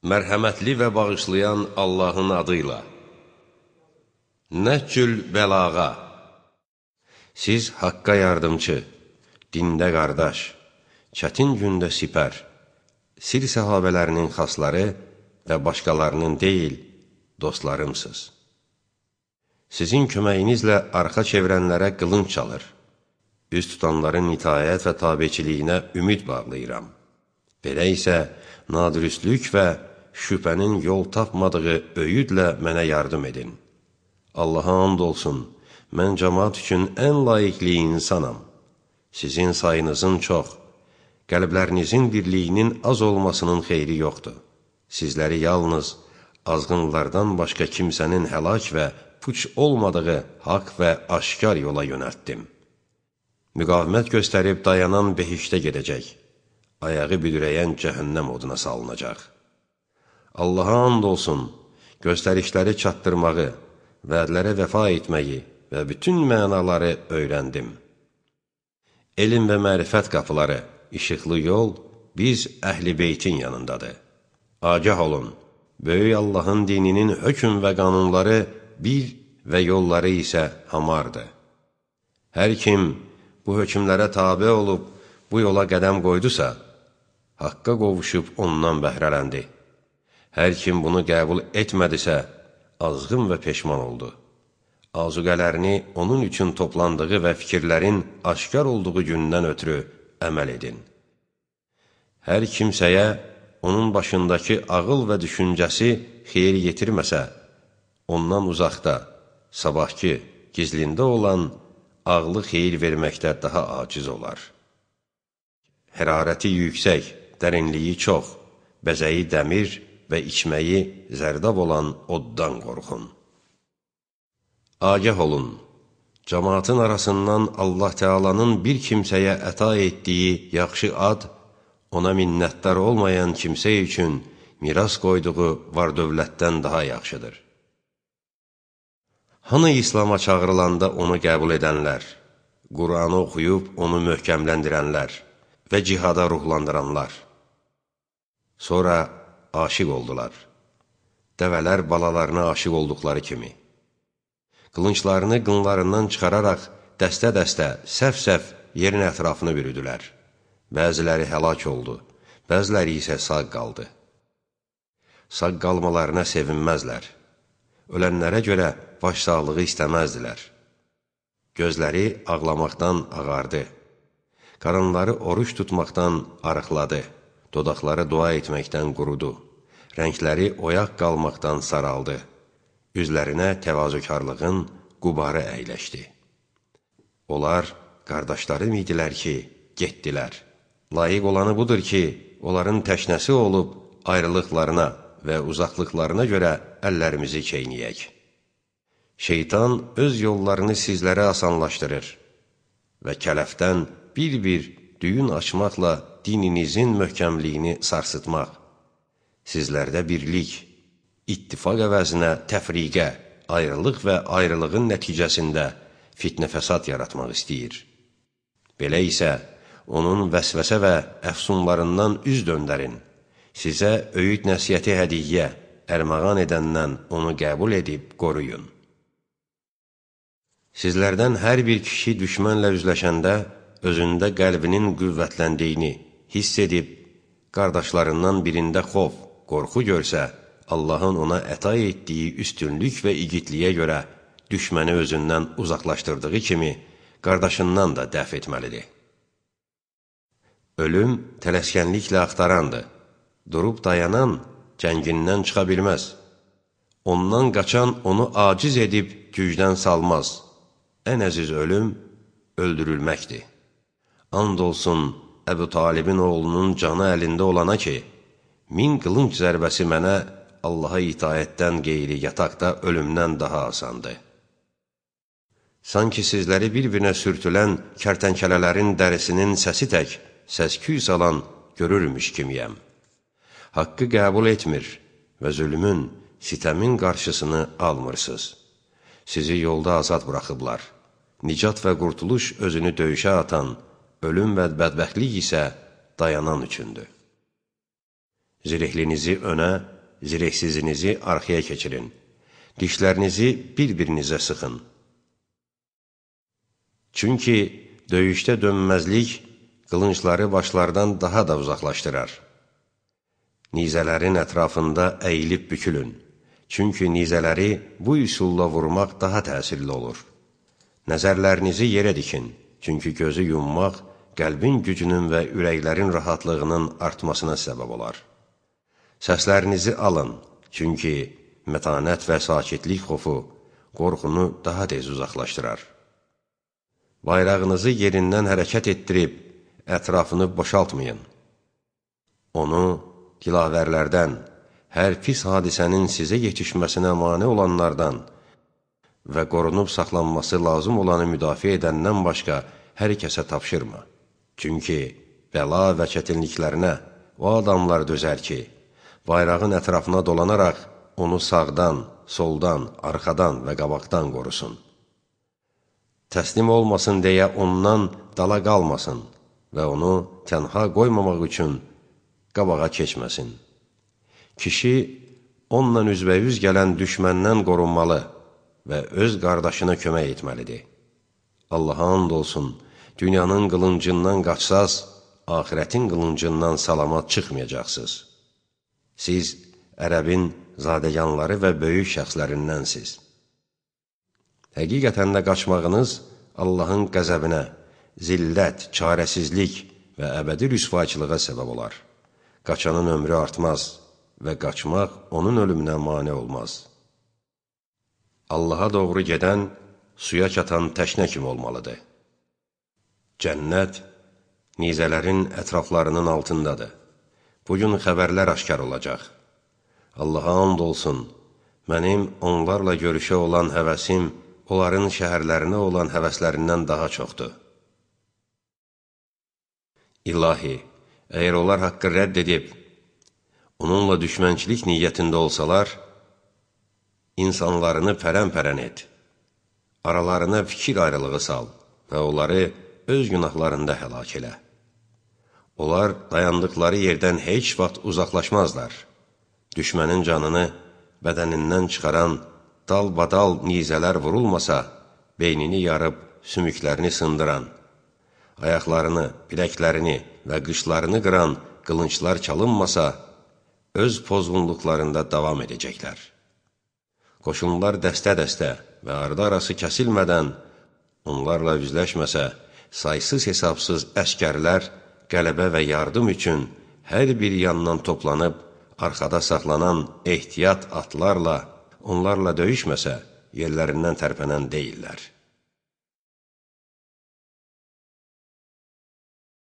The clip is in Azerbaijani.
Mərhəmətli və bağışlayan Allahın adıyla. Nəhcül bəlağa. Siz haqqa yardımcı, dində qardaş, çətin gündə sipər, sir səhabələrinin xasları və başqalarının deyil, dostlarımsınız. Sizin köməyinizlə arxa çevirənlərə qılınc çalır, üz tutanların itayət və tabiçiliyinə ümid bağlayıram. Belə isə nadürüstlük və şübhənin yol tapmadığı öyüdlə mənə yardım edin. Allaha and olsun, mən cəmaat üçün ən layiqli insanam. Sizin sayınızın çox, qəlblərinizin birliyinin az olmasının xeyri yoxdur. Sizləri yalnız azğınlardan başqa kimsənin həlak və puç olmadığı haqq və aşkar yola yönəltdim. Müqavimət göstərib dayanan behişdə gedəcək, ayağı büdürəyən cəhənnəm oduna salınacaq. Allaha and olsun, göstərişləri çatdırmağı, vədlərə vəfa etməyi və bütün mənaları öyrəndim. Elm və mərifət qapıları, işıqlı yol biz əhl-i beytin yanındadır. Agah olun, böyük Allahın dininin hökm və qanunları bir və yolları isə hamardır. Hər kim bu hökmlərə tabe olub, bu yola qədəm qoydusa, haqqa qovuşub ondan bəhrələndi. Hər kim bunu qəbul etmədisə, azğın və peşman oldu. Azuqələrini onun üçün toplandığı və fikirlərin aşkar olduğu gündən ötürü əməl edin. Hər kimsəyə onun başındakı ağıl və düşüncəsi xeyir yetirməsə, ondan uzaqda, sabahki, gizlində olan ağlı xeyir verməkdə daha aciz olar. Hərarəti yüksək, dərinliyi çox, bəzəyi dəmir və içməyi zərdab olan oddan qorxun. Agah olun, cəmaatın arasından Allah Teala'nın bir kimsəyə əta etdiyi yaxşı ad, ona minnətdar olmayan kimsə üçün miras qoyduğu var-dövlətdən daha yaxşıdır. Hanı İslam'a çağırılanda onu qəbul edənlər, Qur'anı oxuyub onu möhkəmləndirənlər və cihada ruhlandıranlar. Sonra aşiq oldular. Dəvələr balalarına aşiq olduqları kimi. Qılınçlarını qınlarından çıxararaq dəstə-dəstə, səf-səf yerin ətrafını bürüdülər. Bəziləri həlak oldu, bəziləri isə sağ qaldı. Sağ qalmalarına sevinməzlər. Ölənlərə görə başsağlığı istəməzdilər. Gözləri ağlamaqdan ağardı. Qarınları oruç tutmaqdan arıqladı. Dodaqları dua etməkdən qurudu. Rəngləri oyaq qalmaqdan saraldı. Üzlərinə təvazökarlığın qubarı əyləşdi. Onlar qardaşlarım idilər ki, getdilər. Layiq olanı budur ki, onların təşnəsi olub ayrılıqlarına və uzaqlıqlarına görə əllərimizi çeynəyək. Şeytan öz yollarını sizlərə asanlaşdırır və kələfdən bir-bir düyün açmaqla dininizin möhkəmliyini sarsıtmaq, sizlərdə birlik, ittifaq əvəzinə təfriqə, ayrılıq və ayrılığın nəticəsində fitnə-fəsad yaratmaq istəyir. Belə isə onun vəsvəsə və əfsunlarından üz döndərin, sizə öyüd nəsiyyəti hədiyyə, ərmağan edəndən onu qəbul edib qoruyun. Sizlərdən hər bir kişi düşmənlə üzləşəndə özündə qəlbinin qüvvətləndiyini hiss edib, qardaşlarından birində xof, qorxu görsə, Allahın ona əta etdiyi üstünlük və igidliyə görə düşməni özündən uzaqlaşdırdığı kimi, qardaşından da dəf etməlidir. Ölüm tələskənliklə axtarandır. Durub dayanan cəngindən çıxa bilməz. Ondan qaçan onu aciz edib gücdən salmaz. Ən əziz ölüm öldürülməkdir. And olsun Əbu Talibin oğlunun canı əlində olana ki, 1000 qılınc zərbəsi mənə Allaha itayətdən qeyri yataqda ölümdən daha asandır. Sanki sizləri bir-birinə sürtülən kərtənkələlərin dərisinin səsi tək səs-küy salan görürmüş kimiyəm. Haqqı qəbul etmir və zülmün, sitəmin qarşısını almırsınız. Sizi yolda azad buraxıblar. Nicat və qurtuluş özünü döyüşə atan, ölüm və bədbəxtlik isə dayanan üçündür. Zirəhlinizi önə, zirəksizinizi arxaya keçirin. Dişlərinizi bir-birinizə sıxın. Çünki döyüşdə dönməzlik qılıncları başlardan daha da uzaqlaşdırar. Nizələrin ətrafında əyilib bükülün. Çünki nizələri bu üsulla vurmaq daha təsirli olur. Nəzərlərinizi yerə dikin. Çünki gözü yummaq qəlbin gücünün və ürəklərin rahatlığının artmasına səbəb olar. Səslərinizi alın. Çünki mətanət və sakitlik xofu qorxunu daha tez uzaqlaşdırar. Bayrağınızı yerindən hərəkət etdirib, ətrafını boşaltmayın. Onu dilavərlərdən, hər pis hadisənin sizə yetişməsinə mane olanlardan və qorunub saxlanması lazım olanı müdafiə edəndən başqa hər kəsə tapşırma. Çünki bəla və çətinliklərinə o adamlar dözər ki, bayrağın ətrafına dolanaraq onu sağdan, soldan, arxadan və qabaqdan qorusun. Təslim olmasın deyə ondan dala qalmasın və onu tənha qoymamaq üçün qabağa keçməsin. Kişi onunla üzbəyüz gələn düşməndən qorunmalı və öz qardaşına kömək etməlidir. Allaha and olsun, dünyanın qılıncından qaçsaz, axirətin qılıncından salamat çıxmayacaqsınız. Siz ərəbin zadəganları və böyük şəxslərindənsiz. Həqiqətən də qaçmağınız Allahın qəzəbinə, zillət, çarəsizlik və əbədi rüsvayçılığa səbəb olar. Qaçanın ömrü artmaz və qaçmaq onun ölümünə mane olmaz. Allaha doğru gedən, suya çatan təşnə kimi olmalıdır. Cənnət nizələrin ətraflarının altındadır. Bugün xəbərlər aşkar olacaq. Allaha and olsun, mənim onlarla görüşə olan həvəsim, onların şəhərlərinə olan həvəslərindən daha çoxdur. İlahi, əgər onlar haqqı rədd edib, onunla düşmənçilik niyyətində olsalar, insanlarını pərən-pərən et, aralarına fikir ayrılığı sal və onları öz günahlarında həlak elə. Onlar dayandıqları yerdən heç vaxt uzaqlaşmazlar. Düşmənin canını bədənindən çıxaran dal-badal nizələr vurulmasa, beynini yarıb sümüklərini sındıran, ayaqlarını, biləklərini və qışlarını qıran qılınçlar çalınmasa, öz pozğunluqlarında davam edəcəklər. Qoşunlar dəstə-dəstə və ardı-arası kəsilmədən onlarla üzləşməsə, saysız-hesabsız əskərlər qələbə və yardım üçün hər bir yandan toplanıb, arxada saxlanan ehtiyat atlarla onlarla döyüşməsə, yerlərindən tərpənən deyirlər.